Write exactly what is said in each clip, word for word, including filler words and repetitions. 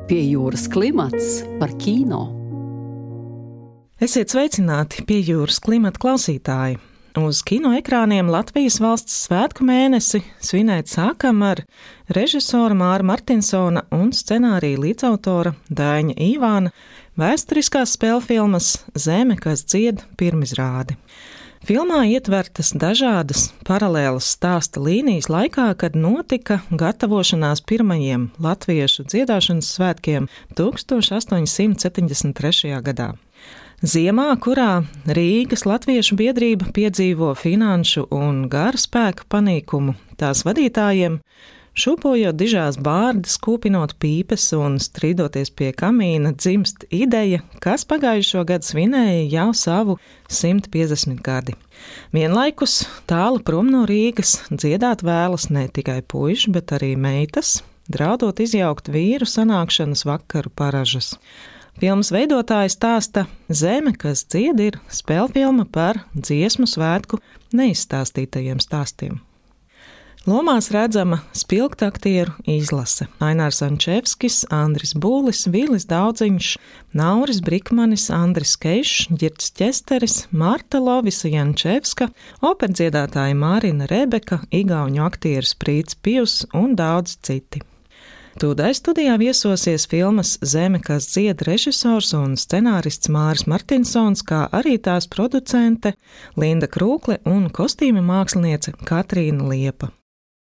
Pie jūras klimats par kino. Esiet sveicināti Pie jūras klimata klausītāji. Uz kino ekrāniem Latvijas valsts svētku mēnesi svinēt sākam ar režisora Māra Martinsona un scenārija līdzautora Daiņa Īvāna vēsturiskās spēlfilmas Zeme, kas dzied pirmizrādi. Filmā ietvertas dažādas paralēlas stāsta līnijas laikā, kad notika gatavošanās pirmajiem latviešu dziedāšanas svētkiem tūkstoš astoņsimt septiņdesmit trešajā gadā. Ziemā, kurā Rīgas latviešu biedrība piedzīvo finanšu un gara spēku panīkumu, tās vadītājiem, šūpojot dižās bārdas, kūpinot pīpes un strīdoties pie kamīna, dzimst ideja, kas pagājušo gadu svinēja jau savu simt piecdesmit gadi. Vienlaikus tālu prom no Rīgas dziedāt vēlas ne tikai puiši, bet arī meitas, draudot izjaukt vīru sanākšanas vakaru paražas. Filmas veidotāja stāsta Zeme, kas dzied, ir spēlfilma par dziesmu svētku neizstāstītajiem stāstiem. Lomās redzama spilgta aktieru izlase – Ainārs Ančevskis, Andris Būlis, Vilis Daudziņš, Nauris Brikmanis, Andris Keišs, Ģirds Ķesteris, Marta Lovisa Jančevska, operdziedātāja Mārina Rebeka, igauņu aktieris Prīts Pivs un daudz citi. Tūdai studijā viesosies filmas Zeme, kas dzied režisors un scenārists Māris Martinsons, kā arī tās producente Linda Krūkle un kostīma māksliniece Katrīna Liepa.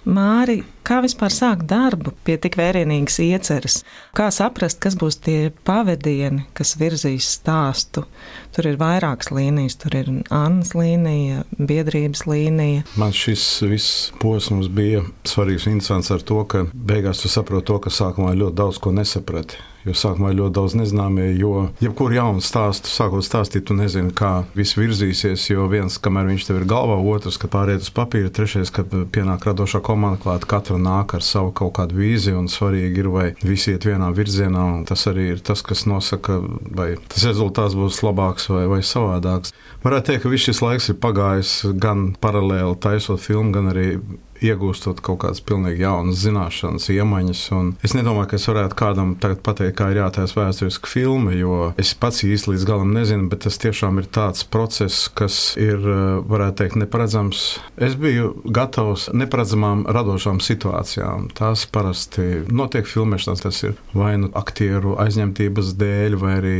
Māri, kā vispār sākt darbu pie tik vērienīgas ieceres? Kā saprast, kas būs tie pavedieni, kas virzīs stāstu? Tur ir vairākas līnijas, tur ir Annas līnija, biedrības līnija. Man šis viss posms bija svarīgs un interesants ar to, ka beigās tu saproti to, ka sākumā ļoti daudz ko nesaprati. Jo sākumā ir ļoti daudz nezināmie, jo jebkuru jaunu stāstu, sākot stāstīt, tu nezini, kā viss virzīsies, jo viens, kamēr viņš tev ir galvā, otrs, kad pāriet uz papīra, trešais, kad pienāk radošā komanda klāt, katra nāk ar savu kaut kādu vīziju, un svarīgi ir, vai visi iet vienā virzienā, un tas arī ir tas, kas nosaka, vai tas rezultāts būs labāks vai, vai savādāks. Varētu teikt, ka viss šis laiks ir pagājis gan paralēli taisot filmu, gan arī iegūstot kaut kādas pilnīgi jaunas zināšanas, iemaņas. Un es nedomāju, ka es varētu kādam tagad pateikt, kā ir jātaisa vēsturiska filma, jo es pats īsti līdz galam nezinu, bet tas tiešām ir tāds process, kas ir, varētu teikt, neparedzams. Es biju gatavs neparedzamām radošām situācijām. Tās parasti notiek filmēšanās, tas ir vai nu aktieru aizņemtības dēļ, vai arī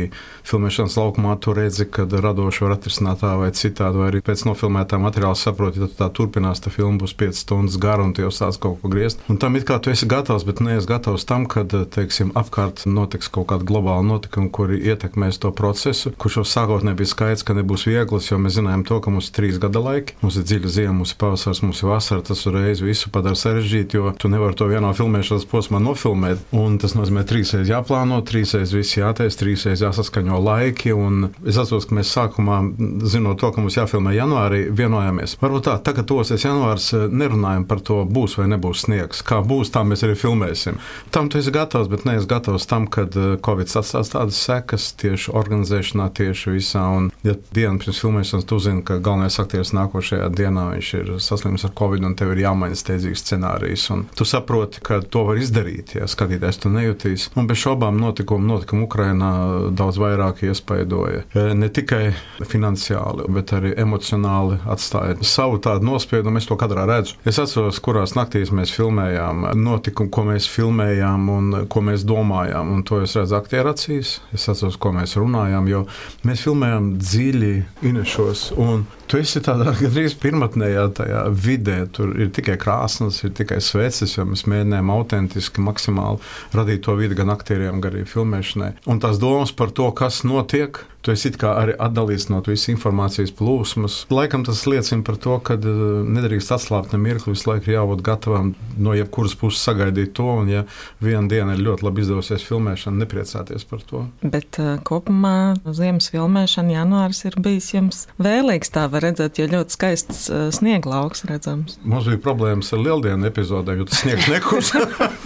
filmēšanas laukumā tu redzi, kad radoši var atrisināt tā vai citādi, vai arī pēc nofilmētā materiāla saproti, ja tā turpinās, tā filma būs piecas stundas garu un tu jau sāc kaut ko griezt. Un tam it kā tu esi gatavs, bet neesi gatavs tam, kad, teiksim, apkārt notiks kaut kāda globāla notikuma, kuri ietekmēs to procesu, kurš jau sākotnēji bija skaidrs, ka nebūs vieglas, jo mēs zinājām to, ka mums ir trīs gada laiki, mums ir dziļa ziema, mums ir pavasars, mums ir vasara, tas uzreiz visu padara sarežģīt, jo tu nevari to vienā filmēšanas posmā nofilmēt, un tas nozīmē trīsreiz jāplāno, trīsreiz viss jātais, trīsreiz jāsaskaņo laiki, un es atceros, ka mēs sākumā, zinot to, ka mums jāfilmē janvārī, vienojāmies. Varbūt tā, tagad tosies janvārs, nerunājam par to, būs vai nebūs sniegs. Kā būs, tā mēs arī filmēsim. Tam tu esi gatavs, bet neesi gatavs tam, kad Covid atstās tādas sekas tieši organizēšanā, tieši visā. Un, ja dienu pirms filmēšanas tu zini, ka galvenais aktieris nākošajā dienā viņš ir saslims ar Covid un tev ir jāmaina steidzīgs scenārijs. Un tu saproti, ka to var izdarīt, ja skatītājs tu nejutīs. Un bez šaubām notikumi, notikumi Ukrainā daudz vairāk iespaidoja. Ne tikai finansiāli, bet arī emocionāli atstāja savu tādu nospiedumu. Es to kadrā redzu. Es atceros, kurās naktīs mēs filmējām notikumu, ko mēs filmējām un ko mēs domājām, un to es redzu aktieru acīs. Es atceros, ko mēs runājām, jo mēs filmējām dziļi Inešos, un tu esi tādā gandrīz pirmatnējā tajā vidē, tur ir tikai krāsnes, ir tikai sveces, jo mēs mēģinājām autentiski, maksimāli radīt to vidi gan aktieriem, gan arī filmēšanai. Un tās domas par to, kas notiek, tu esi it kā arī atdalīts no visas informācijas plūsmas. Laikam tas liecina par to, ka nedrīkst atslābt ne mirkli, visu laiku ir jābūt gatavam no jebkuras puses sagaidīt to, un ja viena diena ir ļoti labi izdevusies filmēšana, nepriecāties par to. Bet uh, kopumā ziemas filmēšana janvāris ir bijis jums vēlīgs, tā var redzēt, jo ļoti skaists uh, snieglauks redzams. Mums bija problēmas ar lieldienu epizodēm, jo tas sniegs nekurs.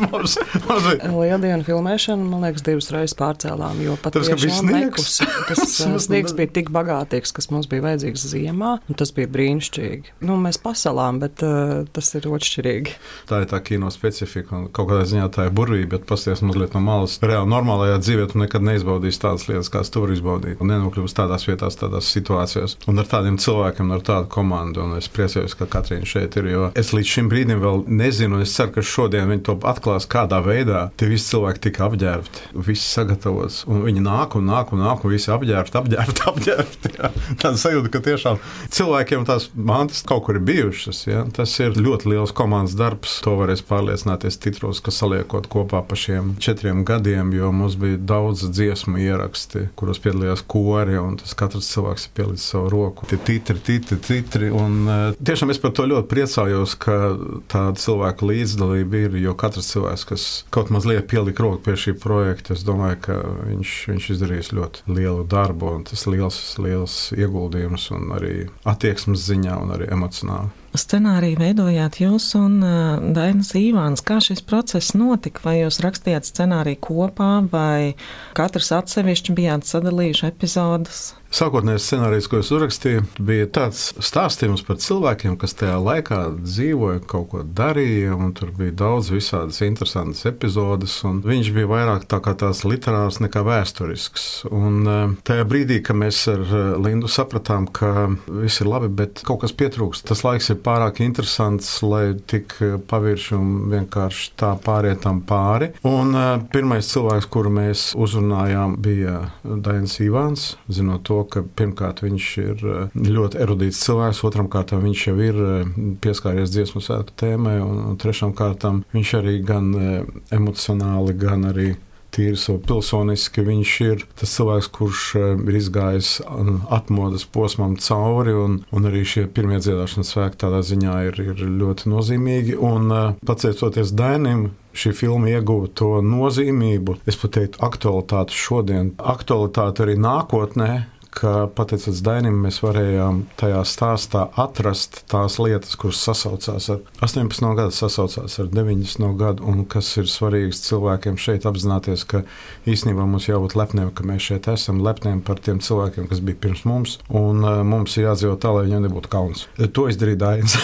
mums, mums bija... Lieldienu filmēšanu, man liekas, divas reizes pārcēlām, jo pat tas, tiešām nekus. Tas sniegs bija tik bagātīgs, kas mums bija vajadzīgs ziemā, un tas bija brīnišķīgi. Nu, mēs pasalām, bet uh, tas ir otršķirīgi. Tā ir tā kino specifika, un kaut kādā ziņā tā ir burvība, bet pasties mazliet no malas. Reāli normālajā dzīvē tu nekad neizbaudīsi tādas lietas, kāds tu vari izbaudīt, un nenokļūst tādās vietās, tādās situācijās. Un ar tādiem cilvēkiem, ar tādu komandu, un es priecājos, ka Katrīna šeit ir, jo es līdz šim brīdim vēl nezinu, un es ceru, ka šodien viņi to atklās, kādā veidā tie visi cilvēki tika apģērbti, visi sagatavots, un viņi nāk un nāk un nāk, un visi apģērbti, apģērbti, apģērbti. Jā. Tāda sajūta, ka tiešām cilvēkiem tās mantas kaut kur ir bijušas. Jā. Tas ir ļoti liels komandas darbs. To varēs pārliecināties titros, ka saliekot kopā pa šiem četriem gadiem, jo mums bija daudz dziesmu ieraksti, kuros piedalījās kori, un tas katrs cilvēks ir pielicis savu roku. Tie titri, titri, titri, un tiešām es par to ļoti priecājos, ka tāda cilvēka līdzdalība ir, jo katrs cilvēks, kas kaut mazliet pielika roku pie šī projekta, es domāju, ka viņš, viņš izdarīs ļoti lielu darbu, un tas liels, liels ieguldījums, un arī attieksmes ziņā, un arī emocionāli. Scenāriju veidojāt jūs un uh, Dainis Ivāns. Kā šis process notika? Vai jūs rakstījāt scenāriju kopā, vai katrs atsevišķi bijāt sadalījuši epizodes? Sākotnējais scenārijs, ko es uzrakstīju, bija tāds stāstījums par cilvēkiem, kas tajā laikā dzīvoja, kaut ko darīja, un tur bija daudz visādas interesantas epizodes, un viņš bija vairāk tā kā tās literārs nekā vēsturisks. Un tajā brīdī, kad mēs ar Lindu sapratām, ka viss ir labi, bet kaut kas pietrūkst, tas laiks ir pārāk interesants, lai tik pavirši un vienkārši tā pārietam pāri. Un pirmais cilvēks, kuru mēs uzrunājām, bija Dainis Ivāns, zinot to, ka pirmkārt viņš ir ļoti erudīts cilvēks, otram kārtām viņš jau ir pieskāries dziesmu svētku tēmai, un trešām kārtām viņš arī gan emocionāli, gan arī tīri savu pilsoniski, viņš ir tas cilvēks, kurš ir izgājis atmodas posmam cauri, un, un arī šie pirmie dziedāšanas svētki tādā ziņā ir, ir ļoti nozīmīgi, un pateicoties Dainim, šī filma ieguva to nozīmību, es pat teiktu aktualitāti šodien, aktualitāti arī nākotnē, ka pateicoties Dainim, mēs varējām tajā stāstā atrast tās lietas, kuras sasaucās ar astoņpadsmit gadu, sasaucās ar deviņdesmit gadu, un kas ir svarīgs cilvēkiem šeit apzināties, ka īstenībā mums jābūt lepniem, ka mēs šeit esam, lepniem par tiem cilvēkiem, kas bija pirms mums, un uh, mums ir jādzīvo tā, lai viņam nebūtu kauns. To izdarīja Dainis,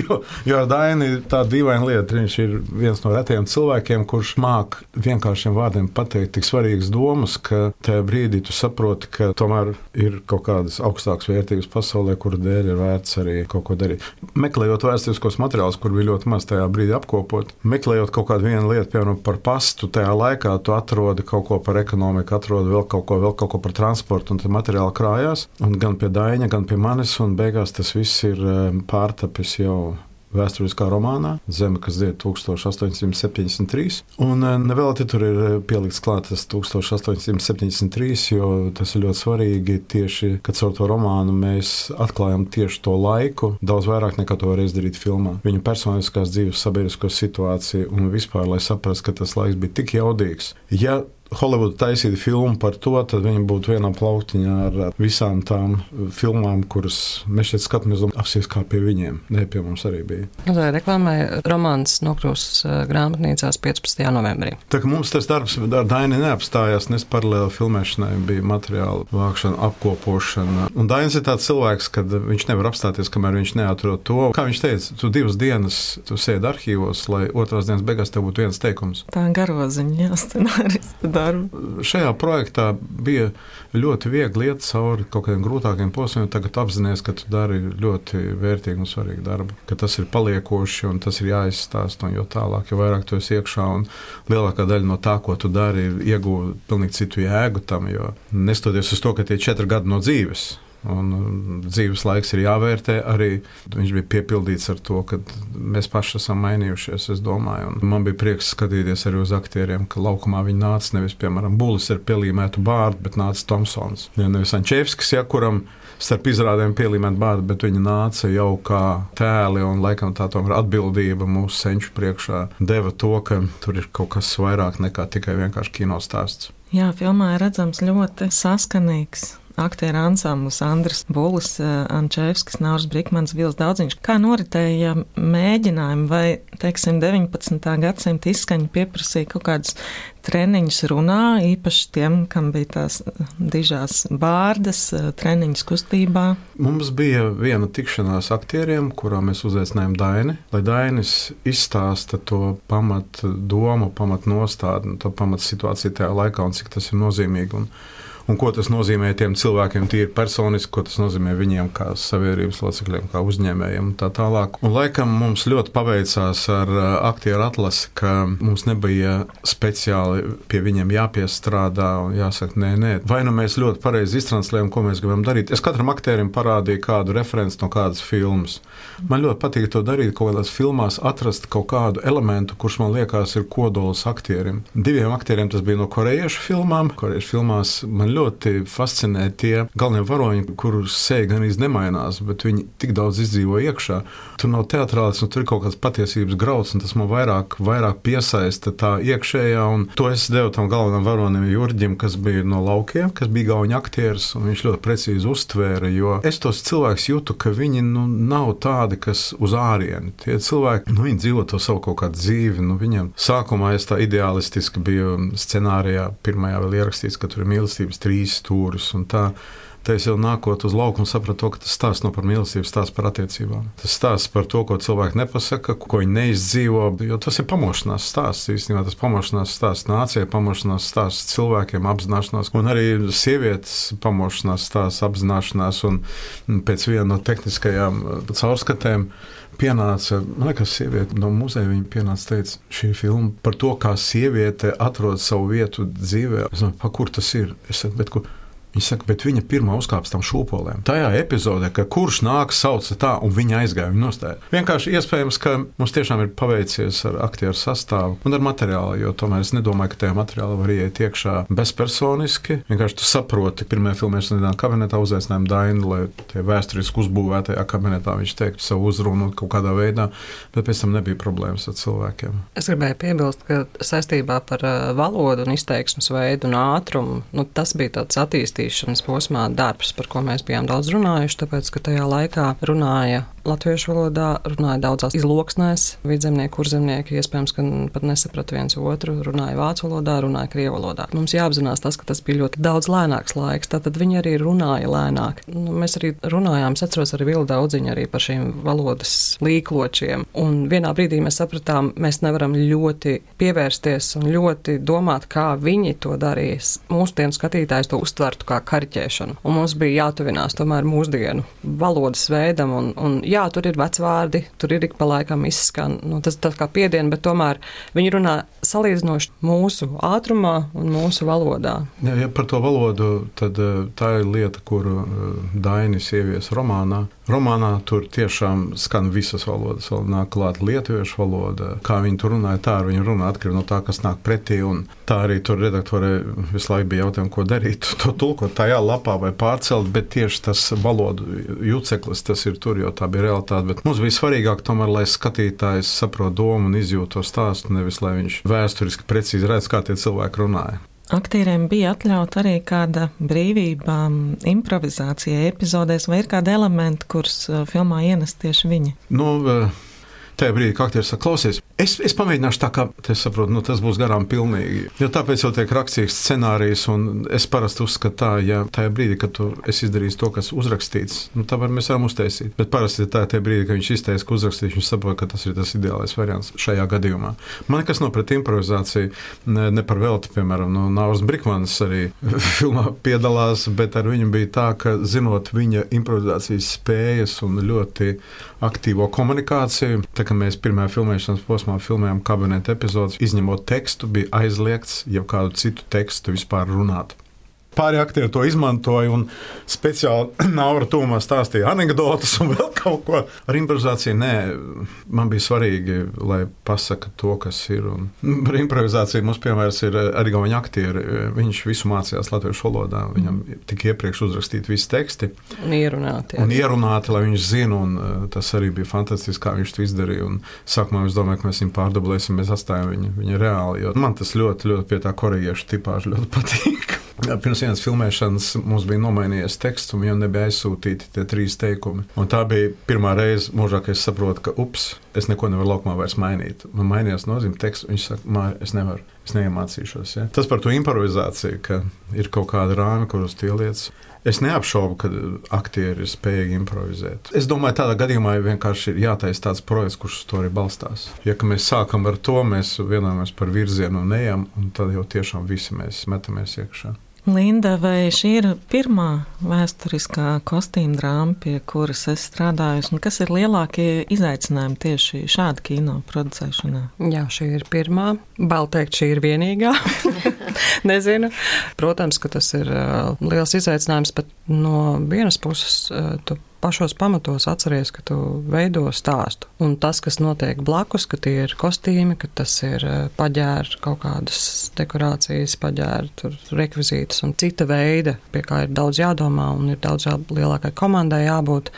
jo, jo ar Daini tā dīvaina lieta, viņš ir viens no retajiem cilvēkiem, kurš māk vienkāršiem vārdiem pateikt tik svarīgas domas, ka tajā brīdī tu saproti, ka tomēr ir kaut kādas augstākas vērtības pasaulē, kuru dēļ ir vērts arī kaut ko darīt. Meklējot vēsturiskos materiālus, kur bija ļoti maz tajā brīdī apkopot, meklējot kaut kādu vienu lietu, piemēram, par pastu, tajā laikā tu atrodi kaut ko par ekonomiku, atrodi vēl kaut ko, vēl kaut ko par transportu, un tad materiāli krājās, un gan pie Daina, gan pie manis, un beigās tas viss ir pārtapis jau vēsturiskā romānā Zeme, kas dzied tūkstoš astoņsimt septiņdesmit trīs. Un nevēlti tur ir pielikts klāt tas tūkstoš astoņsimt septiņdesmit trīs, jo tas ir ļoti svarīgi tieši, kad caur to romānu mēs atklājam tieši to laiku, daudz vairāk nekā to var izdarīt filmā. Viņu personiskās dzīves, sabiedrisko situāciju un vispār, lai saprast, ka tas laiks bija tik jaudīgs. Ja Holivuda taisītu filmu par to, tad viņi būtu vienā plauktiņā ar visām tām filmām, kuras mēs šeit skatāmies, apsies kā pie viņiem. Ne, pie mums arī bija. Tā reklāmai romāns nokļūs grāmatnīcās piecpadsmitajā novembrī. Tā kā mums tas darbs ar Daini neapstājās, nes paralēli filmēšanai bija materiāla vākšana, apkopošana. Un Dainis ir tāds cilvēks, kad viņš nevar apstāties, kamēr viņš neatrod to. Kā viņš teica, tu divas dienas tu sēdi arhīvos, lai otrās dienas beigās tev būtu viens teikums. Tā garoziņa, jā, scenārista darbu. Šajā projektā bija ļoti viegli iet cauri kaut kādiem grūtākiem posmiem. Tagad apzinies, ka tu dari ļoti vērtīgu un svarīgu darbu, ka tas ir paliekoši un tas ir jāizstāst, un jo tālāk, jo vairāk tu esi iekšā, un lielākā daļa no tā, ko tu dari, ieguva pilnīgi citu jēgu tam, jo nestoties uz to, ka tie četri gadi no dzīves, un dzīves laiks ir jāvērtē arī. Viņš bija piepildīts ar to, ka mēs paši esam mainījušies, es domāju. Un man bija prieks skatīties arī uz aktieriem, ka laukumā viņi nāca nevis, piemēram, Bulis ar pielīmētu bārdu, bet nāca Tomsons. Ja nevis Ančevskis, ja, kuram starp izrādēm pielīmēt bārdu, bet viņi nāca jau kā tēli, un laikam tā tomēr atbildība mūsu senču priekšā deva to, ka tur ir kaut kas vairāk nekā tikai vienkārši kinostāsts. Jā, filmā ir redzams ļoti saskanīgs aktieru ansamblis Andris Bulis, Ančevskis, Nauris Brikmans, Vils Daudziņš. Kā noritēja mēģinājumi vai, teiksim, deviņpadsmitā gadsimta izskaņa pieprasīja kaut kādus treniņus runā, īpaši tiem, kam bija tās dižās bārdas, treniņus kustībā? Mums bija viena tikšanās aktieriem, kurā mēs uzaicinājām Daini, lai Dainis izstāsta to pamat domu, pamat nostādni, to pamat situāciju tajā laikā un cik tas ir nozīmīgi. Un, un ko tas nozīmē tiem cilvēkiem tīri personiski, ko tas nozīmē viņiem kā sabiedrības locekļiem, kā uzņēmējiem un tā tālāk. Un laikam mums ļoti paveicās ar aktieru atlasi, ka mums nebija speciāli pie viņiem jāpiestrādā un jāsaka, nē, nē. Vai nu mēs ļoti pareizi iztranslējam, ko mēs gribam darīt. Es katram aktierim parādīju kādu referenci no kādas filmas. Man ļoti patīk to darīt, kaut kādās filmās atrast kaut kādu elementu, kurš man liekas ir kodols aktierim. Diviem aktieriem tas bija no korejiešu filmām. Korejiešu filmās man ļoti fascinē tie galvenie varoņi, kurus seja gan īsti nemainās, bet viņi tik daudz izdzīvo iekšā. Tur nav teatrālis, un tur ir kaut kāds patiesības grauds, un tas man vairāk, vairāk piesaista tā iekšējā, un to es devu tam galvenam varonim Jurģim, kas bija no laukiem, kas bija gauņa aktieris, un viņš ļoti precīzi uztvēra, jo es tos cilvēkus jūtu, ka viņi nu, nav tādi, kas uz ārieni. Tie cilvēki, nu, viņi dzīvo to savu kaut kādu dzīvi, nu, viņiem sākumā es tā ideālistiski biju scenārijā, pirmajā vēl ierakstīts, ka tur ir mīlestības trīs stūris, un tā, tā es jau nākot uz lauku un sapratu to, ka tas stāsts nav par mīlestību, stāsts par attiecībām. Tas stāsts par to, ko cilvēki nepasaka, ko viņi neizdzīvo, jo tas ir pamošanās stāsts, īstenībā tas pamošanās stāsts nācijai, pamošanās stāsts cilvēkiem, apzināšanās, un arī sievietes pamošanās stāsts, apzināšanās, un pēc viena no tehniskajām caurskatēm pienāca, man liekas, sieviete no muzeja, viņa pienāca, teica, šī filma par to, kā sieviete atrod savu vietu dzīvē. Es domāju, pa kur tas ir? Es saku, bet kur? Viņa saka, bet viņa pirmā uzkāps tam šūpolēm. Tajā epizodē, ka kurš nāk, sauca tā, un viņa aizgāja, viņa nostāja. Vienkārši iespējams, ka mums tiešām ir paveicies ar aktieru sastāvu un ar materiālu, jo tomēr es nedomāju, ka tajā materiālā var ieiet iekšā bezpersoniski. Vienkārši tu saproti, pirmajā filmēšanas kabinetā uzaicinājām Dainu, lai tie vēsturiski uzbūvētajā kabinetā viņš teiktu savu uzrunu kaut kādā veidā, bet pēc tam nebija problēmas ar cilvēkiem. Es gribēju piebilst, ka saistībā par valodu un izteiksmes veidu un ātrumu, nu, tas bija tāds attīstības posmā darbs, par ko mēs bijām daudz runājuši, tāpēc, ka tajā laikā runāja latviešu valodā, runāja daudzās izloksnēs, vidzemnieki, kurzemnieki, iespējams, ka pat nesaprata viens otru, runāja vācu valodā, runāja krievu valodā. Mums jāapzinās tas, ka tas bija ļoti daudz lēnāks laiks, tātad viņi arī runāja lēnāk. Nu, mēs arī runājām, es atceros arī Vildu Daudziņu arī par šīm valodas līkločiem, un vienā brīdī mēs sapratām, mēs nevaram ļoti pievērsties un ļoti domāt, kā viņi to darīs. Mūsdienu skatītājs to uztvertu kā kariķēšanu, un mums bija jātuvinās tomēr mūsdienu valodas veidam, un, un jā, tur ir vecvārdi, tur ir ik pa laikam izskan, nu, tas tā kā piediena, bet tomēr viņi runā salīdzinoši mūsu ātrumā un mūsu valodā. Ja, ja par to valodu, tad tā ir lieta, kuru Dainis ievies romānā. Romānā tur tiešām skan visas valodas, vēl nāk klāt lietuviešu valoda. Kā viņi tur runāja, tā arī viņi runā atkarībā no tā, kas nāk pretī, un tā arī tur redaktorē visu laiku bija jautājumi, ko darīt, to tulkot tajā lapā vai pārcelt, bet tieši tas valodu juceklis, tas ir tur, jo tā bija realitāte, bet mums bija svarīgāk tomēr, lai skatītājs saprot domu un izjūt to stāstu, nevis lai viņš vēsturiski precīzi redz, kā tie cilvēki runāja. Aktieriem bija atļauta arī kāda brīvība improvizācijai epizodēs, vai ir kādi elementi, kurus filmā ienest tieši viņi? Nu, tajā brīdī, kā aktieris saka, klausies, es, es pamēģināšu tā, kā es saprotu, nu, tas būs garām pilnīgi. Jo tāpēc jau tiek rakstīts scenārijs, un es parasti uzskatu tā, ja tajā brīdī, kad tu esi izdarījis to, kas uzrakstīts, nu, tā var mēs varam uztaisīt. Bet parasti tā, tajā brīdī, kad viņš izteiks, ka uzrakstīts, viņš saprot, ka tas ir tas ideālais variants šajā gadījumā. Man nekas nav pret improvizāciju, ne, ne par velti, piemēram, nu, Nauris Brikmans arī filmā piedalās, bet ar viņu bija tā, ka zinot viņa improvizācijas spējas un ļoti aktīvo komunikāciju, tā kā mēs pirmajā filmēšanas posmā filmējām kabineta epizodes, izņemot tekstu, bija aizliegts jau kādu citu tekstu vispār runāt. Pārējie aktieri to izmantoja un speciāli Naura tūmā stāstīja anekdotas un vēl kaut ko. Ar improvizāciju nē, man bija svarīgi, lai pasaka to, kas ir. Un par improvizāciju mums piemērs ir arī gauņa aktieri. Viņš visu mācījās latviešu valodā. Viņam tika iepriekš uzrakstīti visi teksti. Un ierunāti. Un ierunāti, lai viņš zina, un tas arī bija fantastiski, kā viņš to izdarīja. Un sākumā es domāju, ka mēs viņu pārdublēsim, mēs atstājam viņu, viņu reāli, jo man tas ļoti, ļoti pie tā korejiešu tipāžu ļoti patīk. Pirms vienas filmēšanas mums bija nomainījies teksts, un viņam nebija aizsūtīti tie trīs teikumi. Un tā bija pirmā reize mūžā, kad es saprotu, ka ups, es neko nevaru laukumā vairs mainīt. Man mainījās nozīme teksts, viņš saka, Māri, es nevaru, es neiemācīšos. Ja? Tas par to improvizāciju, ka ir kaut kāda rāmi, kuros tie lietas. Es neapšaubu, ka aktieri ir spējīgi improvizēt. Es domāju, tādā gadījumā vienkārši ir jātaisa tāds projekts, kurš uz to arī balstās. Ja mēs sākam ar to, mēs vienojamies par virzienu un ejam, un tad jau tiešām visi mēs metamies iekšā. Linda, vai šī ir pirmā vēsturiskā kostīma drāma, pie kuras es strādāju, un kas ir lielākie izaicinājumi tieši šāda kino producēšanā? Jā, šī ir pirmā. Bail teikt, šī ir vienīgā. Nezinu. Protams, ka tas ir uh, liels izaicinājums, bet no vienas puses uh, tu pašos pamatos atceries, ka tu veido stāstu. Un tas, kas notiek blakus, ka tie ir kostīmi, ka tas ir paģēri kaut kādas dekorācijas, paģēri, tur rekvizītas un cita veida, pie kā ir daudz jādomā un ir daudz jā, lielākai komandai jābūt.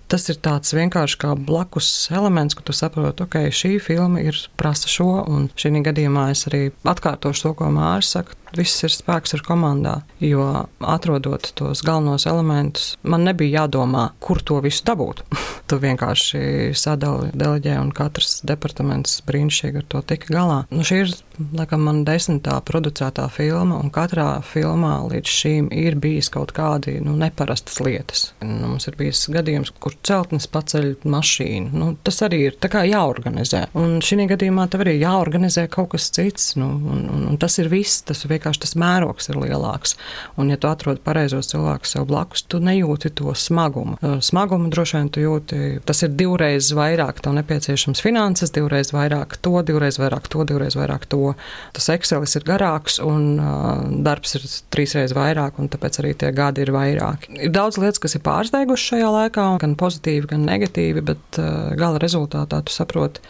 Tas ir tāds vienkārši kā blakus elements, ka tu saproti, ok, šī filma ir prasa šo, un šī gadījumā es arī atkārtošu to, ko Māris saka. Viss ir spēks ar komandā, jo atrodot tos galvenos elementus, man nebija jādomā, kur to visu dabūt. Tu vienkārši sadali, deleģē, un katrs departaments brīnišķīgi ar to tika galā. Nu, šī ir, laikam, man desmitā producētā filma, un katrā filmā līdz šīm ir bijis kaut kādi nu, neparastas lietas. Nu, mums ir bijis gadījums, kur celtnis paceļ mašīnu. Nu, tas arī ir tā kā jāorganizē. Un šī gadījumā tev arī jāorganizē kaut kas cits, nu, un, un, un tas ir viss, tas ir vienkārši tas mērogs ir lielāks. Un ja tu atrodi pareizos cilvēkus sev blakus, tu nejūti to smagumu. Smagumu droši vien tu jūti, tas ir divreiz vairāk, tev nepieciešams finanses, divreiz vairāk to, divreiz vairāk to, divreiz vairāk to. Tas Excelis ir garāks un uh, darbs ir trīsreiz vairāk, un tāpēc arī tie gadi ir vairāk. Ir daudz lietas, kas ir pārsteigušas šajā laikā, gan pozitīvi, gan negatīvi, bet uh, gala rezultātā tu saproti.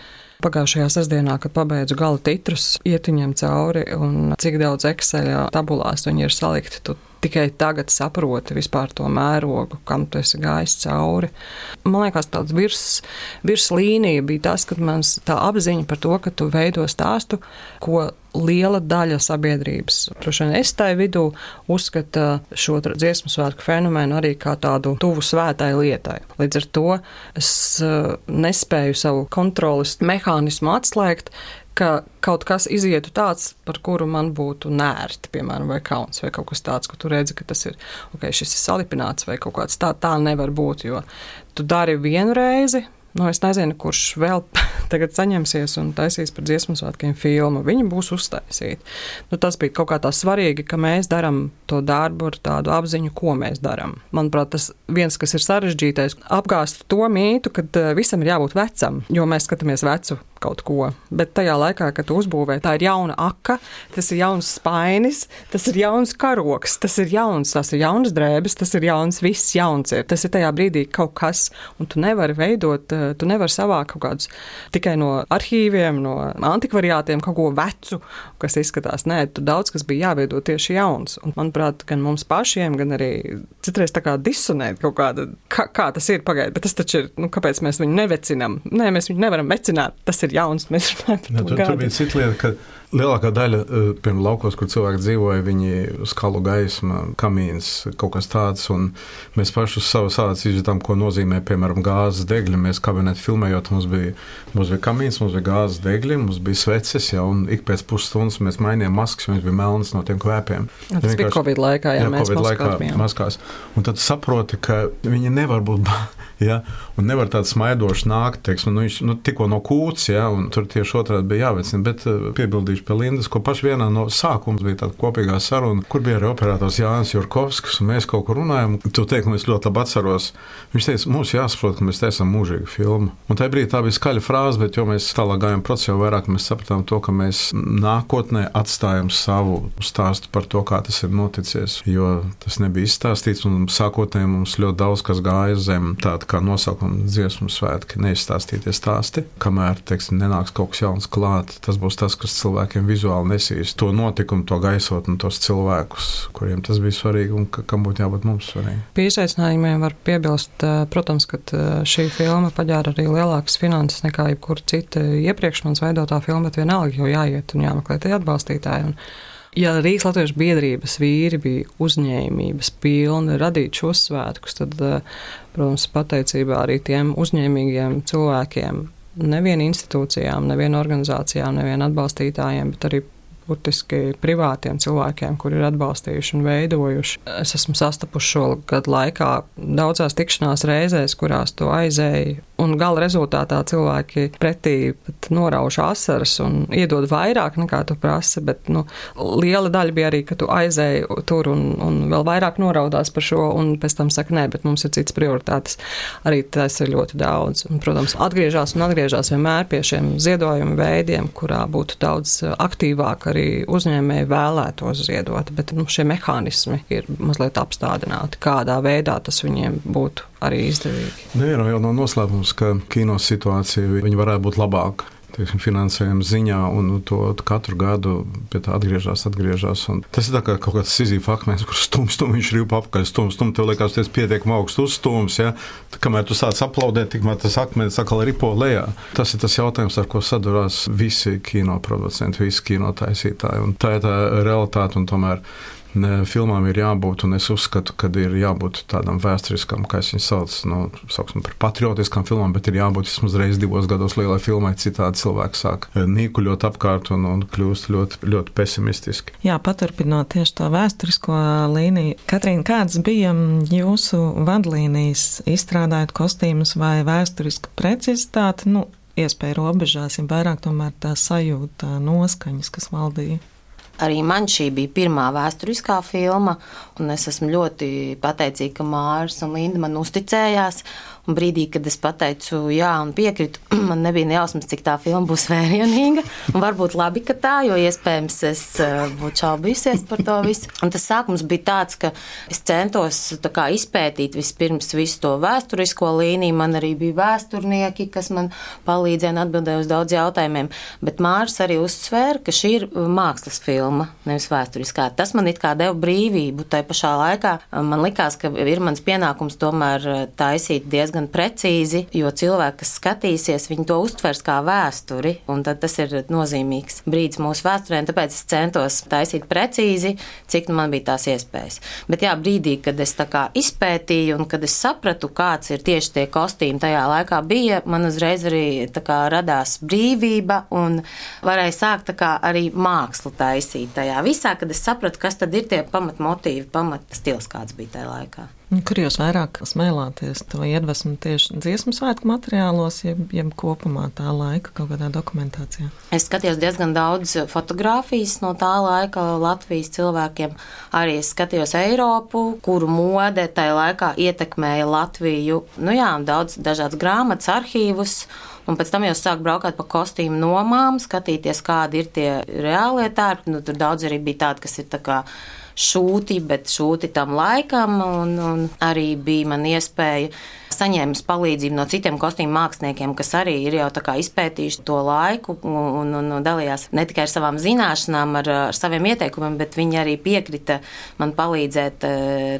Pagājušajā sestdienā, kad pabeidzu gala titrus, iet viņiem cauri un cik daudz Exceļa tabulās viņi ir salikti, tu tikai tagad saproti vispār to mērogu, kam tu esi gājis cauri. Man liekas, tāds virs, virs līnija bija tas, kad man tā apziņa par to, ka tu veido stāstu, ko liela daļa sabiedrības, droši vien es tai vidū, uzskata šo dziesmu svētku fenomenu arī kā tādu tuvu svētai lietai. Līdz ar to es nespēju savu kontrolas mehānismu atslēgt, ka kaut kas izietu tāds, par kuru man būtu nērti, piemēram, vai kauns, vai kaut kas tāds, ka tu redzi, ka tas ir, ok, šis ir salipināts, vai kaut kāds tā, tā nevar būt, jo tu dari vienu reizi, nu, es nezinu, kurš vēl tagad saņemsies un taisīs par dziesmu svētkiem filmu. Viņi būs uztaisīti. Nu, tas bija kaut kā tā svarīgi, ka mēs daram to darbu ar tādu apziņu, ko mēs daram. Manuprāt, tas viens, kas ir sarežģītais, apgāst to mītu, kad visam ir jābūt vecam, jo mēs skatāmies vecu kaut ko. Bet tajā laikā, kad tu uzbūvē, tā ir jauna aka, tas ir jauns spainis, tas ir jauns karoks, tas ir jauns, tas ir jauns drēbes, tas ir jauns, viss jauns ir. Tas ir tajā brīdī kaut kas, un tu nevari veidot, tu nevari savākt kaut kādus tikai no arhīviem, no antikvariātiem kaut ko vecu, kas izskatās. Nē, tu daudz, kas bija jāveido tieši jauns. Un, manuprāt, gan mums pašiem, gan arī citreiz tā kā disonēt kaut kāda, kā, kā tas ir pagaid, bet tas taču ir, nu, kāpēc mēs viņu nevecinam? Nē, mēs viņu nevaram vecināt, tas ir jauns, mēs runājam par to tur, tur bija cita lieta, ka lielākā daļa, piemēram, laukos, kur cilvēki dzīvoja, viņi skalu gaisma, kamīns, kaut kas tāds, un mēs paši uz savas ādas izjūtām, ko nozīmē, piemēram, gāzes degļi. Mēs kabineti filmējot, mums bija, mums bija kamīns, mums bija gāzes degļi, mums bija sveces, ja, un ik pēc pusstundas mēs mainījām maskas, un viņš bija melnas no tiem kvēpiem. Ja, tas bija Covid laikā, ja, jā, mēs Covid laikā maskās. Un tad saproti, ka viņi nevar būt, ja, un nevar tāds smaidoši nākt, teiksim, nu, viņš, nu, tikko no kūts, ja, un tur tieši otrādi bija jāvecina, bet piebildīšu pie Lindas, ko paši vienā no sākums bija tāda kopīgā saruna, kur bija arī operators Jānis Jurkovskis, un mēs kaut kur runājam. Tu teiksi, un es ļoti labi atceros. Viņš teica, mums jāsaprot, ka mēs taisām mūžīgu filmu. Un tajā brīdī tā bija skaļa frāze, bet jo mēs tālāk gājām procesā, jau vairāk mēs sapratām to, ka mēs nākotnē atstājam savu stāstu par to, kā tas ir noticies, jo tas nebija izstāstīts, un sākotnēji mums ļoti daudz kas gāja zem tāda kā nosaukuma dziesmu svētki, neizstāstītie stāsti, kamēr, teiksim, nenāks kaut kas jauns klāt. Tas būs tas, kas cilvēkiem vizuāli nesīs to notikumu, to gaisotni, tos cilvēkus, kuriem tas bija svarīgi un ka, kam būtu jābūt mums svarīgi. Pie izaicinājumiem var piebilst, protams, ka šī filma paģēra arī lielākas finanses nekā jebkur cita iepriekš manas veidotā filma, bet vienalga jau jāiet un jāmeklē tie atbalstītāji. Un Ja Rīgas Latviešu biedrības vīri bija uzņēmības pilni radīt šos svētkus, tad, protams, pateicībā arī tiem uzņēmīgiem cilvēkiem, nevien institūcijām, nevien organizācijām, nevien atbalstītājiem, bet arī burtiski privātiem cilvēkiem, kuri ir atbalstījuši un veidojuši. Es esmu sastapuši šo gadu laikā daudzās tikšanās reizēs, kurās to aizēju, un gala rezultātā cilvēki pretī pat norauž asaras un iedod vairāk nekā tu prasi, bet nu, liela daļa bija arī, ka tu aizēji tur un, un vēl vairāk noraudās par šo, un pēc tam saka, nē, bet mums ir cits prioritātes. Arī tas ir ļoti daudz. Un, protams, atgriežās un atgriežās vienmēr pie šiem ziedojumu veidiem, kurā būtu daudz aktīvāk arī uzņēmēji vēlētos ziedot, bet nu, šie mehānismi ir mazliet apstādināti, kādā veidā tas viņiem būtu arī izdevīgi. Nē, jau nav noslēpums, ka kino situācija viņa varētu būt labāka. Teiksim, finansējuma ziņā, un to katru gadu pie tā atgriežas, atgriežas. Tas ir tā kā kaut kāds Sizīfa akmens, kur stum, stum, viņš ripa apakaļ, stum, stum, tev liekas, tas pietiekami augsts uzstums, ja? Kamēr tu sāc aplaudēt, tikmēr tas akmens atkal ripo lejā. Tas ir tas jautājums, ar ko sadurās visi kino producenti, visi kino taisītāji, un tā ir tā realitāte, un tomēr filmām ir jābūt, un es uzskatu, ka ir jābūt tādam vēsturiskam, kā es viņu sauc, nu, sauksim par patriotiskām filmām, bet ir jābūt vismaz reiz divos gados lielai filmai, citādi cilvēki sāk nīkuļot apkārt un, un kļūst ļoti, ļoti pesimistiski. Jā, paturpinot tieši to vēsturisko līniju. Katrīna, kāds bija jūsu vadlīnijas, izstrādājot kostīmus vai vēsturisku precizitāti, nu, iespēja robežās, ja vairāk tomēr tā sajūta, noskaņas, kas valdīja? Arī man šī bija pirmā vēsturiskā filma, un es esmu ļoti pateicīga, ka Māris un Linda man uzticējās. Un brīdī, kad es pateicu jā un piekritu, man nebija nejausmas, cik tā filma būs vērienīga. Un varbūt labi, ka tā, jo iespējams es būtu šaubījusies par to visu. Un tas sākums bija tāds, ka es centos tā kā izpētīt vispirms visu to vēsturisko līniju. Man arī bija vēsturnieki, kas man palīdzēja un atbildēja uz daudz jautājumiem. Bet Māris arī uzsvēra, ka šī ir mākslas filma, nevis vēsturiskā. Tas man it kā deva brīvību. Tai pašā laikā man likās, ka ir mans pienākums tomēr taisīt diezgan gan precīzi, jo cilvēki, kas skatīsies, viņi to uztvers kā vēsturi, un tad tas ir nozīmīgs brīdis mūsu vēsturē, un tāpēc es centos taisīt precīzi, cik nu man bija tās iespējas. Bet jā, brīdī, kad es tā kā izpētīju un kad es sapratu, kāds ir tieši tie kostīmi tajā laikā bija, man uzreiz arī tā kā radās brīvība un varēja sākt tā kā arī mākslu taisīt tajā visā, kad es sapratu, kas tad ir tie pamatmotīvi, pamatstils, kāds bija tajā laikā. Kur jūs vairāk smēlāties to iedvesmu tieši dziesmu svētku materiālos, jeb, jeb kopumā tā laika kaut kādā dokumentācijā? Es skatījos diezgan daudz fotogrāfijas no tā laika Latvijas cilvēkiem. Arī es skatījos Eiropu, kuru mode tajā laikā ietekmēja Latviju. Nu jā, daudz dažādas grāmatas, arhīvus. Un pēc tam jau sāk braukāt pa kostīmu nomām, skatīties, kādi ir tie reālie tērpi. Nu, tur daudz arī bija tādi, kas ir tā kā šūti, bet šūti tam laikam, un, un arī bija man iespēja saņēmis palīdzību no citiem kostīmu māksliniekiem, kas arī ir jau tā kā izpētījuši to laiku un, un, un dalījās ne tikai ar savām zināšanām, ar, ar saviem ieteikumiem, bet viņi arī piekrita man palīdzēt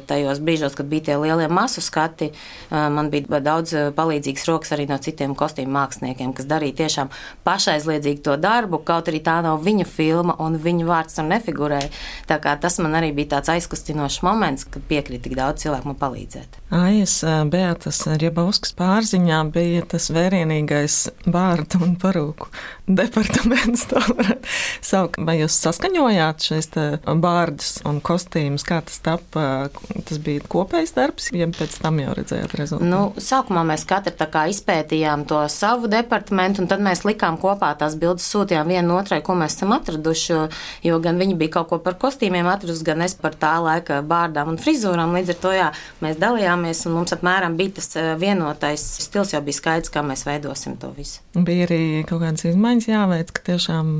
tajos brīžos, kad bija tie lielie masu skati. Man bija daudz palīdzīgas rokas arī no citiem kostīmu māksliniekiem, kas darīja tiešām pašaizliedzīgi to darbu, kaut arī tā nav viņa filma un viņa vārds tur nefigurēja. Tā kā tas man arī bija tāds aizkustinošs moments, kad piekrita tik daudz cilvēku man palīdzēt. Aies, Beatas Riebauskas pārziņā bija tas vērienīgais bārdu un parūku departaments, tā varētu saukt. Vai jūs saskaņojāt šeit bārdus un kostīmus, kā tas tapa? Tas bija kopējs darbs, ja pēc tam jau redzējāt rezultātu? Nu, sākumā mēs katru tā kā izpētījām to savu departamentu, un tad mēs likām kopā tās bildes, sūtījām vienu otrai, ko mēs esam atraduši, jo, jo gan viņi bija kaut ko par kostīmiem atradusi, gan es par tā laika bārdām un frizūrām. Līdz ar to, jā, mēs dalījāmies, un mums apmēram bija tas vienotais stils, jau bija skaidrs, kā mēs veidosim to visu. Bija arī kaut kādas izmaiņas jāveic, ka tiešām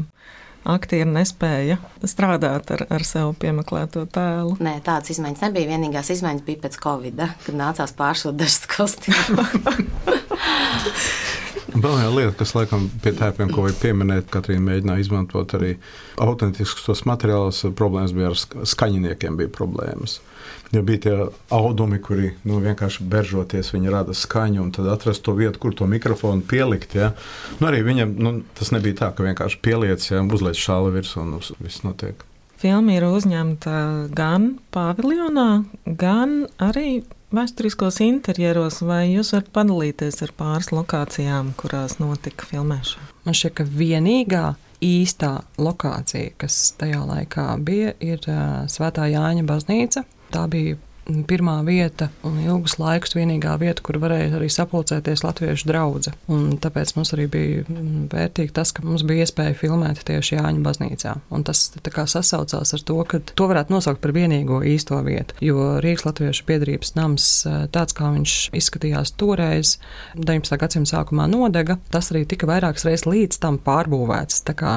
aktieri nespēja strādāt ar, ar sev piemeklēto tēlu. Nē, tādas izmaiņas nebija. Vienīgās izmaiņas bija pēc Covida, kad nācās pāršūt dažas kostīmus. Vēl viena lieta, kas laikam pie tērpiem, ko vajag pieminēt, Katrīna mēģināja izmantot arī autentiskus tos materiālus, problēmas bija ar skaņiniekiem, bija problēmas. Ja bija tie audumi, kuri nu, vienkārši beržoties, viņi rada skaņu, un tad atrast to vietu, kur to mikrofonu pielikt. Ja. Nu, arī viņam nu, tas nebija tā, ka vienkārši pieliec, ja, uzliec šāli virs un viss notiek. Filma ir uzņemta gan paviljonā, gan arī vēsturiskos interjeros, vai jūs varat padalīties ar pāris lokācijām, kurās notika filmēšana? Man šķiet, ka vienīgā īstā lokācija, kas tajā laikā bija, ir uh, Svētā Jāņa baznīca. Tā bija pirmā vieta un ilgus laikus vienīgā vieta, kur varēja arī sapulcēties latviešu draudze. Un tāpēc mums arī bija vērtīgi tas, ka mums bija iespēja filmēt tieši Jāņa baznīcā. Un tas tā kā sasaucās ar to, ka to varētu nosaukt par vienīgo īsto vietu. Jo Rīgas latviešu biedrības nams, tāds kā viņš izskatījās toreiz, deviņpadsmitā gadsimta sākumā nodega, tas arī tika vairākas reizes līdz tam pārbūvēts. Tā kā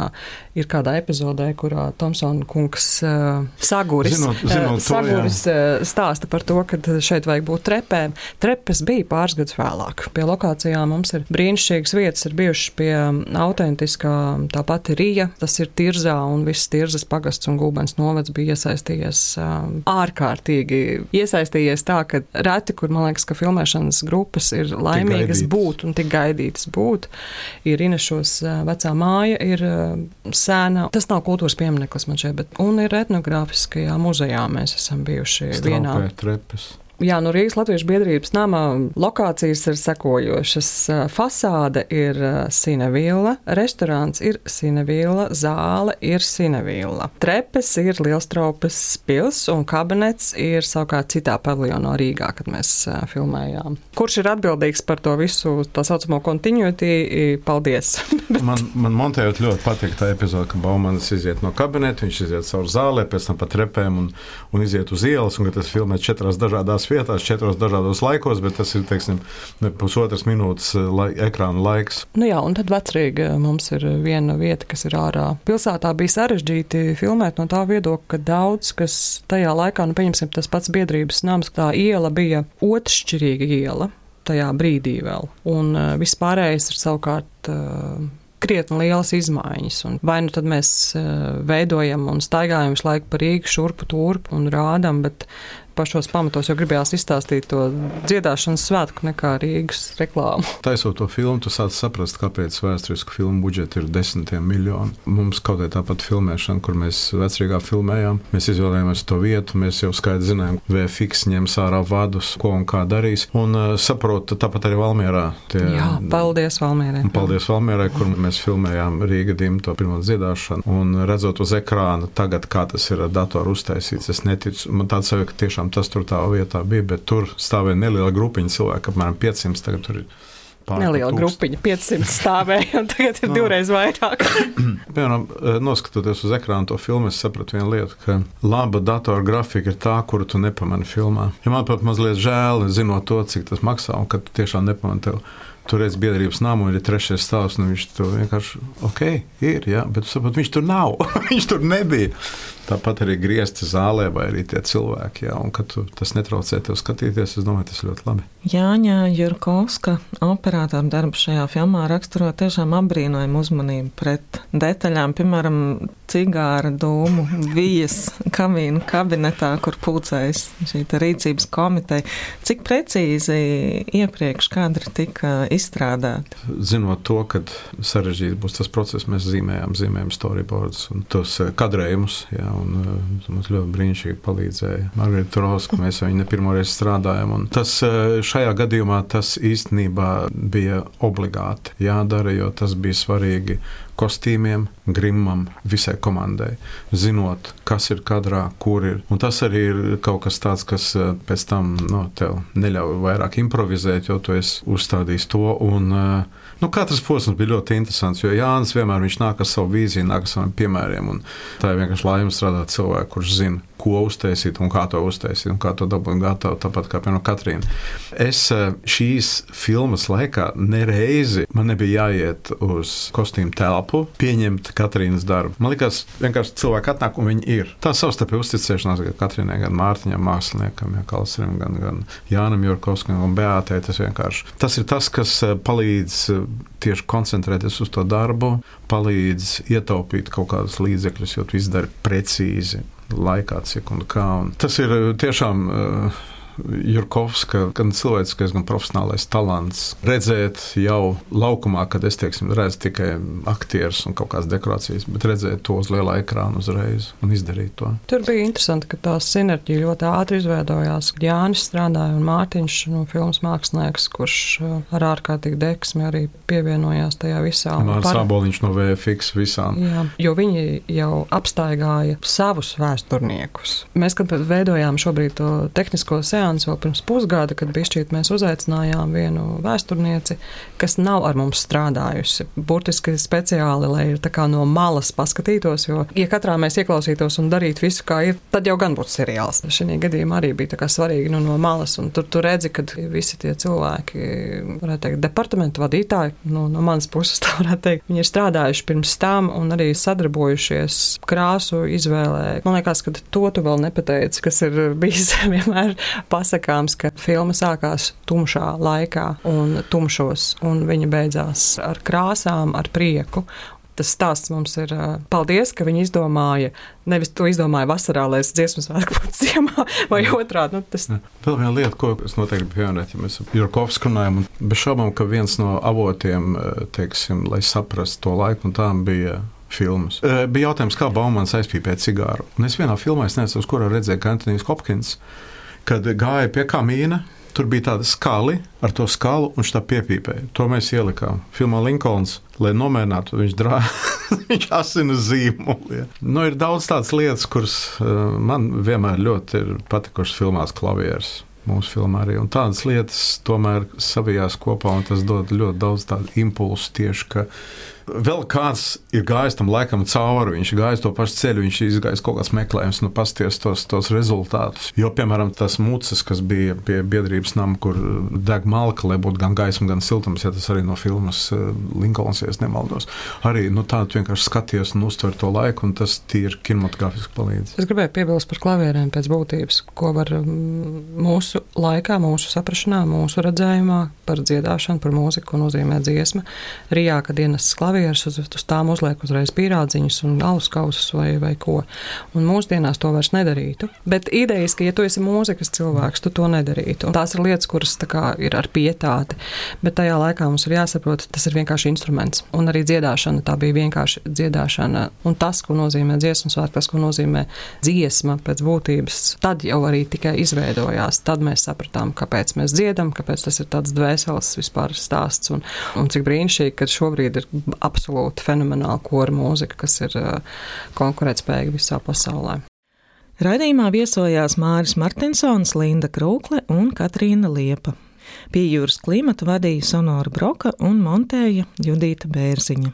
ir kādā epizodē, kurā Tomsona kungs uh, Saguris, zinot, zinot uh, Saguris uh, stāsta par to, ka šeit vajag būt trepēm. Trepes bija pāris gadus vēlāk. Pie lokācijām mums ir brīnišķīgas vietas, ir bijušas pie autentiskā tā pati Rija, tas ir Tirzā, un viss Tirzas pagasts un Gulbens novads bija iesaistījies ārkārtīgi. Iesaistījies tā, ka reti, kur man liekas, ka filmēšanas grupas ir laimīgas būt un tik gaidītas būt. Ir Inešos vecā māja, ir sēna. Tas nav kultūras piemineklis man šeit, bet un ir etnogrāfiskajā muzejā mēs esam bijuši vienā. Trepes. Jā, no Rīgas latviešu biedrības nama lokācijas ir sekojošas. Fasāde ir Sinevilla, restorāns ir Sinevilla, zāle ir Sinevilla. Trepes ir Lielstraupes pils un kabinets ir savukārt citā paviljonā Rīgā, kad mēs filmējām. Kurš ir atbildīgs par to visu tā saucamo continuity? Paldies! man, man montējot ļoti patīk tā epizode, ka Baumanis iziet no kabineta, viņš iziet caur zālē, pēc tam pa trepēm un, un iziet uz ielas, un ka tas filmē četrās dažādās vietās, četros dažādos laikos, bet tas ir, teiksim, pusotras minūtes lai, ekrāna laiks. Nu jā, un tad Vecrīga mums ir viena vieta, kas ir ārā. Pilsētā bija sarežģīti filmēt no tā viedokļa, ka daudz, kas tajā laikā, nu pieņemsim, tas pats biedrības nams, tā iela bija otršķirīga iela tajā brīdī vēl. Un uh, viss pārējais ir savukārt uh, krietni lielas izmaiņas. Un vai nu tad mēs uh, veidojam un staigājam visu laiku pa Rīgu šurpu turpu un rādam, bet pašos pamatos jau gribējās izstāstīt to dziedāšanas svētku nekā Rīgas reklāmu. Taisot to filmu, tu sāc saprast, kāpēc vēsturisku filmu budžeti ir desmitiem miljoni. Mums kaut kā tāpat filmēšana, kur mēs Vecrīgā filmējām, mēs izvēlējāmies to vietu, mēs jau skaidri zinājām, V F X ņems ārā vadus, ko un kā darīs. Un uh, saprotu, tāpat arī Valmierā. Tie, Jā, paldies Valmierai. Paldies Valmierai, kur mēs filmējām Rīga dimto pirmo dziedāšanu. Un redzot uz ekrāna tagad, kā tas ir ar datoru uztaisīts, es neticu. Man tāds sajūta, ka tiešām tas tur tā vietā bija, bet tur stāvēja neliela grupiņa cilvēku, apmēram piecsimt, tagad tur ir pār neliela grupiņa, piecsimt stāvēja, un tagad ir no. divreiz vairāk. Piemēram, noskatoties uz ekrānu to filmu, es sapratu vienu lietu, ka laba datora grafika ir tā, kuru tu nepamani filmā. Ja man pat mazliet žēl, zinot to, cik tas maksā, un ka tu tiešām nepamani tev. Tur redz biedrības namu, ir trešais stāvs, un viņš tur vienkārši, ok, ir, jā, bet tu saprot, viņš tur nav, viņš tur nebija. Tāpat arī griezti zālē vai arī tie cilvēki, jā, un kad tu, tas netraucē tev skatīties, es domāju, tas ļoti labi. Jāņa Jurkovska operātora darbs šajā filmā raksturo tiešām apbrīnojumu uzmanību pret detaļām, piemēram, cigāra dūmu vijas kamīnu kabinetā, kur pulcējas šī rīcības komiteja. Cik precīzi iepriekš kadri tika izstrādāti? Zinot to, kad sarežģīti būs tas process, mēs zīmējām, zīmējām storyboards un tos kadrējumus, jā, un mums ļoti brīnišķīgi palīdzēja Margarita Troska, mēs viņu ne pirmoreiz strādājam, un tas šajā gadījumā tas īstenībā bija obligāti jādara, jo tas bija svarīgi kostīmiem, grimam, visai komandai, zinot, kas ir kadrā, kur ir. Un tas arī ir kaut kas tāds, kas pēc tam, nu, tev neļauj vairāk improvizēt, jo tu esi uzstādījis to, un, nu, katrs posms bija ļoti interesants, jo Jānis vienmēr viņš nāk ar savu vīziju, nāk ar saviem piemēriem, un tā ir vienkārši laime strādāt cilvēku, kurš zina, ko uztaisīt un kā to uztaisīt un kā to dabūt gatavu, tāpat kā piemēram Katrīna. Es šīs filmas laikā nereizi man nebija jāiet uz kostīmu telpu, pieņemt Katrīnas darbu. Man likās, vienkārši cilvēki atnāk un viņi ir. Tā savstarpēja uzticēšanās gan Katrīnai, gan Mārtiņam, māksliniekam, ja Kalsrim, gan, gan Jānam Jurkovskam un Beātei. Tas vienkārši. Tas ir tas, kas palīdz tieši koncentrēties uz to darbu, palīdz ietaupīt kaut kādus līdzekļus, jo tu izdari precīzi laikā, cik un kā. Un tas ir tiešām uh, Jurkovska, gan cilvēciskais, gan profesionālais talants. Redzēt jau laukumā, kad es, teiksim, redzu tikai aktierus un kaut kādas dekorācijas, bet redzēt to uz lielā ekrāna uzreiz un izdarīt to. Tur bija interesanti, ka tā sinerģija ļoti ātri izveidojās. Jānis strādāja un Mārtiņš, nu, filmas mākslinieks, kurš ar ārkārtīgi deksmi arī pievienojās tajā visā. Māris Āboliņš no V F X visām. Jā, jo viņi jau apstaigāja savus vēsturniekus. Mēs, kad veidojām šobrīd to tehnisko seansu vēl pirms pusgada, kad bišķīt mēs uzaicinājām vienu vēsturnieci, kas nav ar mums strādājusi. Burtiski speciāli, lai ir tā kā no malas paskatītos, jo, ja katrā mēs ieklausītos un darītu visu, kā ir, tad jau gan būtu seriāls. Šī gadījumā arī bija tā kā svarīgi nu, no malas, un tur tu redzi, kad visi tie cilvēki, varētu teikt, departamentu vadītāji, nu, no manas puses tā varētu teikt, viņi ir strādājuši pirms tam un arī sadarbojušies krāsu izvēlē. Man liekas, ka to tu vēl nepateici, kas ir bijis vienmēr pasakāms, ka filma sākās tumšā laikā un tumšos, un viņa beidzās ar krāsām, ar prieku. Tas stāsts mums ir paldies, ka viņi izdomāja, nevis to izdomāja vasarā, lai es dziesmu svētku būtu ziemā, vai otrādi. Nu, tas... Vēl viena lieta, ko es noteikti gribu pieminēt, ja mēs ar Jurkovsku runājam, un bez šaubām, ka viens no avotiem, teiksim, lai saprastu to laiku, un tām bija filmas. Bija jautājums, kā Baumans aizpīpēja cigāru. Un es vienā filmā, es nezinu, uz kurā redzēju, ka Antonijs Hopkins, kad gāja pie kamīna, tur bija tāda skali, ar to skalu, un viņš tā piepīpēja. To mēs ielikām. Filmā Linkolns, lai nomērinātu, viņš drāja, viņš asina zīmoli. Ja. Nu, ir daudz tādas lietas, kuras man vienmēr ļoti ir patikušas filmās klavieres. Mūsu filmā arī. Un tādas lietas tomēr savijās kopā, un tas dod ļoti daudz tādu impulsu tieši, ka vēl kāds ir gājis tam laikam cauri, viņš ir gājis to pašu ceļu, viņš ir izgājis kaut kāds meklējums, nu pasties tos, tos rezultātus. Jo, piemēram, tas muces, kas bija pie biedrības nama, kur deg malka, lai būtu gan gaisma, gan siltums, ja tas arī no filmas Linkolns, ja es nemaldos. Arī, nu tā, tu vienkārši skaties un uztver to laiku, un tas tīri kinematogrāfiski palīdz. Es gribēju piebilst par klavierēm pēc būtības, ko var mūsu laikā, mūsu saprašanā, mūsu redzējumā par dziedāšanu, par mūziku, ko nozīmē dziesma. Rijā, kad ienes klavieres, uz, uz tām uzliek uzreiz pīrādziņus un alus kausus vai, vai ko. Un mūsdienās to vairs nedarītu. Bet idejiski, ja tu esi mūzikas cilvēks, tu to nedarītu. Un tās ir lietas, kuras tā kā ir ar pietāti. Bet tajā laikā mums ir jāsaprot, tas ir vienkārši instruments. Un arī dziedāšana, tā bija vienkārši dziedāšana. Un tas, ko nozīmē dziesmas svētki, tas, ko nozīmē dziesma pēc būtības, tad jau arī tikai izveidojās. Tad mēs sapratām, kāpēc mēs dziedam, kāpēc tas ir tāds dvēseles vispār stāsts. Un, un cik brīnišķīgi, ka šobrīd ir absolūti fenomenāla kora mūzika, kas ir konkurētspējīga visā pasaulē. Raidījumā viesojās Māris Martinsons, Linda Krūkle un Katrīna Liepa. Pie Jūras klimatu vadīja Sonora Broka un montēja Judīta Bērziņa.